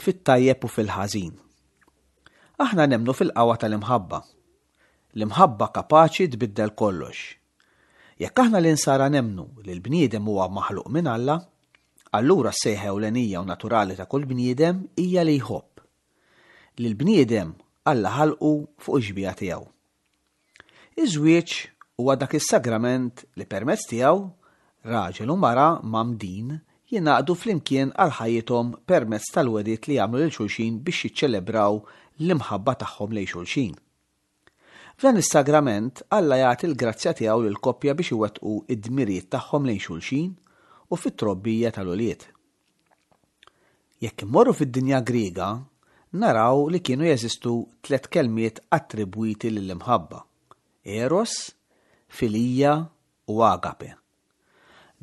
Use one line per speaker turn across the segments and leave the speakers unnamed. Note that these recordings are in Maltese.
fit-tajjeb u fil-ħażin. Aħna nemmnu fil-qawwa tal-imħabba. L-imħabba kapaċi tbiddel kollox. Jekk aħna l-insara nemmnu li l-bniedem huwa maħluq minn Alla, allura s-sejħa ewlenija u naturali ta' kull bniedem hija li jħobb. Lill-bniedem Alla ħalqu fuq ix-xbieha tiegħu. Iż-żwieġ huwa dak is-sagrament li permezz tiegħu raġel u mara mgħammdin jingħaqdu flimkien għal ħajjithom permezz tal-wegħdiet li jagħmlu lil xulxin biex jiċċelebraw l-imħabba tagħhom lejn xulxin. F'dan is-sagrament Alla jagħti l-grazzja tiegħu lill-koppja biex iwettqu d-dmirijiet tagħhom lejn xulxin u fit-trobbija tal-ulied. Jekk immorru fid-dinja Griega, naraw li kienu jeżistu tlett kelmiet attribwiti lill-imħabba, eros, filija u agape.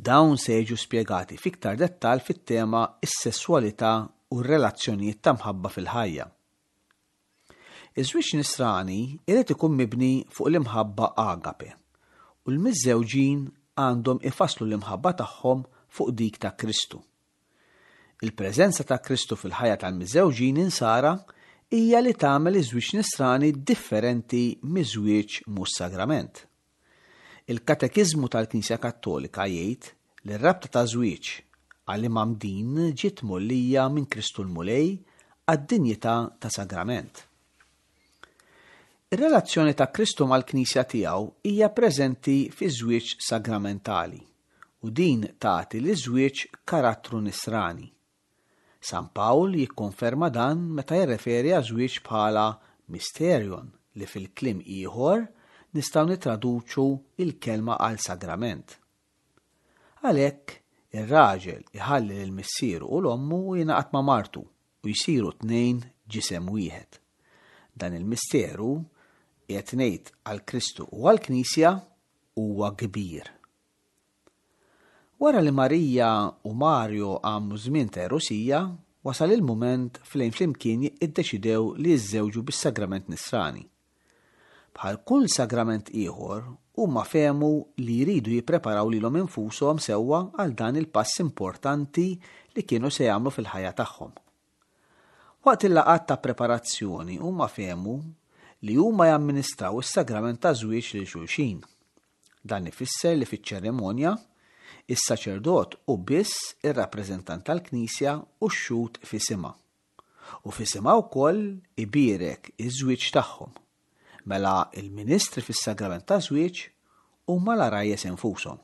Dawn se jiġu spjegati f'iktar dettall fit-tema Is-sesswalità u r-relazzjonijiet ta' mħabba fil-ħajja. Iż-żwieġ Nisrani jrid ikun mibni fuq l-imħabba agape, u l-miżżewġin għandhom ifasslu l-imħabba tagħhom fuq dik ta' Kristu. Il-preżenza ta' Kristu fil-ħajja tal-miżżewġin Insara hija li tagħmel iż-żwieġ Nisrani differenti miż-żwieġ mhux sagrament. Il-Katekiżmu tal-Knisja Kattolika jgħid li r-rabta ta' żwieġ għal imgħammdin ġiet mgħollija minn Kristu l-Mulej għad-dinjità ta' sagrament. Ir-relazzjoni ta' Kristu mal-Knisja tiegħu hija preżenti fiż-żwieġ sagramentali u din tagħti liż-żwieġ karattru nisrani. San Pawl jikkonferma dan meta jirreferi għaż-żwieġ bħala mysterion li fil-kliem ieħor nistgħu nittraduċu l-kelma għal sagrament. Għalhekk, ir-raġel iħalli lil missieru u 'l ommu u jingħaqad ma' martu u jsiru tnejn ġisem wieħed. Dan il-misteru, qiegħed ngħid għal Kristu u għall-Knisja, huwa kbir. Wara li Maria u Mario għamlu żmien ta' għerusija, wasal il-mument flejn flimkien iddeċidew li jiżżewġu bis-sagrament Nisrani. Bħal kull sagrament ieħor, huma fehmu li jridu jippreparaw lilhom infushom sewwa għal dan il-pass importanti li kienu se jagħmlu fil-ħajja tagħhom. Waqt il-laqgħat ta' preparazzjoni huma fehmu li huma jamministraw is-sagrament taż-żwieġ lil xulxin. Dan ifisser li fiċ-ċerimonja, is-saċerdot hu biss ir-rappreżentant tal-Knisja u x-xhud f'isimha. U f'isimha wkoll ibierek iż-żwieġ tagħhom. Mela l-ministri fis-sagrament taż-żwieġ huma l-għarajjes infushom.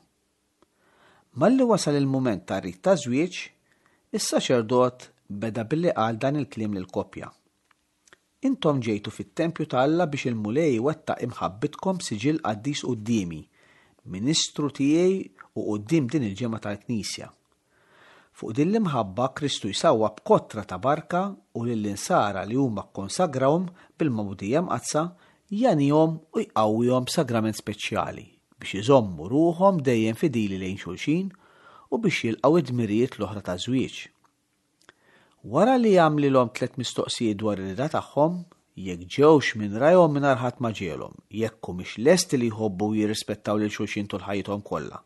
Malli wasal il-mument tar-rit taż-żwieġ, is-saċerdot beda billi qal dan il-kliem lill-koppja, Intom ġejtu fit-tempju ta' Alla biex il-Mulej iwettaq imħabbitkom b'siġill qaddis quddiemi, ministru tiegħi u quddiem din il-ġemgħa tal-Knisja. Fuq din l-imħabba Kristu jsawwab kotra ta' barka u lill-insara li huma kkonsagrawhom bil-Magħmudija Mqaddsa jagħnihom u jqawwihom b'sagrament speċjali biex iżommu ruħhom dejjem fidili lejn xulxin u biex jilqgħu id-dmirijiet l-oħra taż-żwieġ. Wara li għamlilhom tlett mistoqsijiet dwar ir-rieda tagħhom, jekk ġewx minn rajhom mingħajr ħadd ma ġegħelhom, jekk humiex lesti li jħobbu u jirrispettaw lil xulxin tul ħajjithom kollha,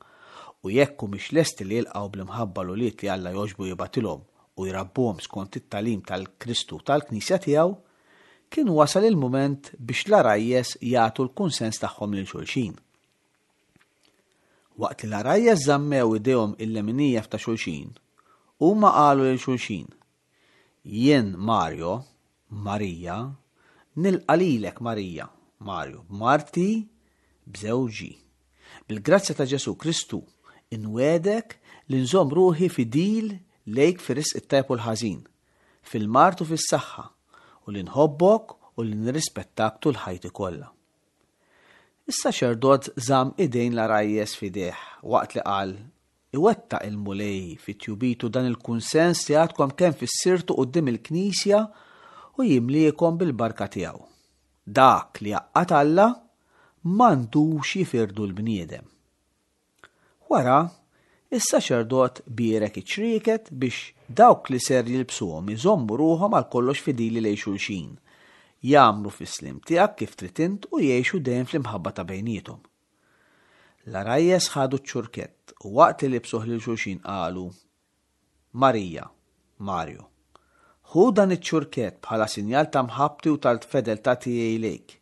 u jekk humiex lesti li jilqgħu bl-imħabba l-ulied li Alla jogħġbu jibgħatilhom u jrabbuhom skont it-tagħlim tal-Kristu u tal-Knisja tiegħu, kien wasal il-mument biex l-għarajjes jagħtu l-kunsens tagħhom lil xulxin. Waqt li l-għarajjes żammew idejhom il-leminija f'ta' xulxin, huma qalu lil xulxin, Jien Mario, Marija, nilqa' lilek Marija, Mario, b'marti, b'żewġi. Bil-grazzja ta' Ġesù Kristu, inwiegħdek li nżomm ruħi fidil lejk fir-risq it-tajjeb u l-ħażin, fil-mard u fis-saħħa, u li nħobbok u li nirrispettak tul ħajti kollha. Is-saċerdot żamm idejn l-għarajjes f'idejh waqt li qal, Iwettaq il-Mulej fi tjubitu dan il-kunsens li għadkom kemm fissirtu quddiem il-Knisja u jimliekom bil-barka tiegħu. Dak li għaqqad Alla m'għandux jifirdu l-bniedem. Wara, is-saċerdot bierek iċ-ċrieket biex dawk li ser jilbsuhom iżommu ruħhom għal kollox fidili lejn xulxin, jagħmlu fis-sliem tiegħek kif trid int u jgħixu dejjem fl-imħabba ta' bejniethom. L-għarajjes ħadu ċ-ċurkett u waqt li libsuh lil xulxin qalu, Marija, Mario, Ħu dan iċ-ċurkett bħala sinjal ta' mħabbti u tal-fedeltà tiegħi lejk,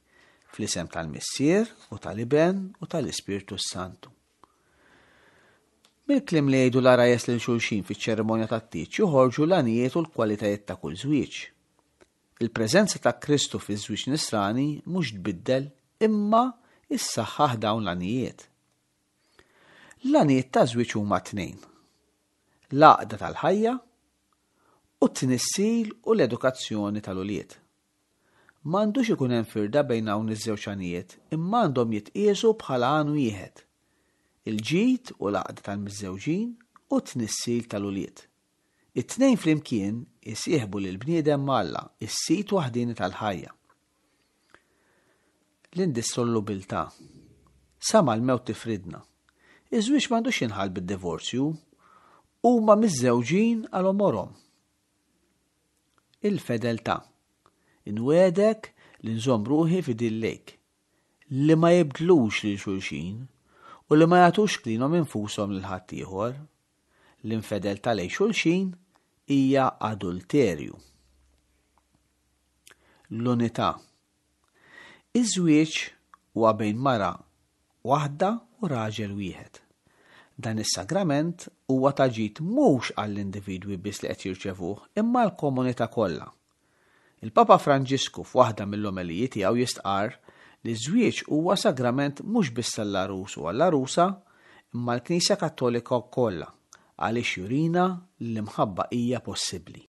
fl-isem tal-Missier u tal-Iben u tal-Ispirtu s-Santu. Mill-kliem li jgħidu l-għarajjes lil xulxin fiċ-ċerimonja tat-tieġ joħorġu l-għanijiet u l-kwalitajiet ta' kull żwieġ. Il-preżenza ta' Kristu fiż-żwieġ nisrani mhux tbiddel imma issaħħaħ dawn l-għanijiet. L-għanijiet taż-żwieġ huma tnejn. L-għaqda tal-ħajja u t-tnissil u l-edukazzjoni tal-ulied. M'għandux ikun hemm firda bejn hawn iż-żewġ għanijiet imma għandhom jitqiesu bħala għan wieħed, il-ġid u l-għaqda tal-miżżewġin u t-tnissil tal-ulied. It-tnejn flimkien isieħbu lill-bniedem ma' Alla, is-sid waħdieni tal-ħajja. L-indissolubiltà. Sa ma l-mewt tifridna. Iż-żwieġ m'għandux jinħall bid-divorzju. Huma miżżewġin għal għomorhom. Il-fedeltà. Inwiegħdek li nżomm ruħi fidil lejk. Li ma jibdlux lil xulxin u li ma jagħtux lilhom infushom lil ħaddieħor. L-infedeltà lejn xulxin hija adulterju. L-unità. Iż-żwieġ huwa bejn mara waħda u raġel wieħed. Dan is-sagrament huwa ta' ġid mhux għall-individwi biss li qed jirċevuh imma għall-komunità kollha. Il-Papa Franġisku f'waħda mill-omeliji tiegħu jistqarr li ż-żwieġ huwa sagrament mhux biss għall-għarus u għall-għarusa imma għall-Knisja Kattolika kollha għaliex jurina li l-imħabba hija possibbli.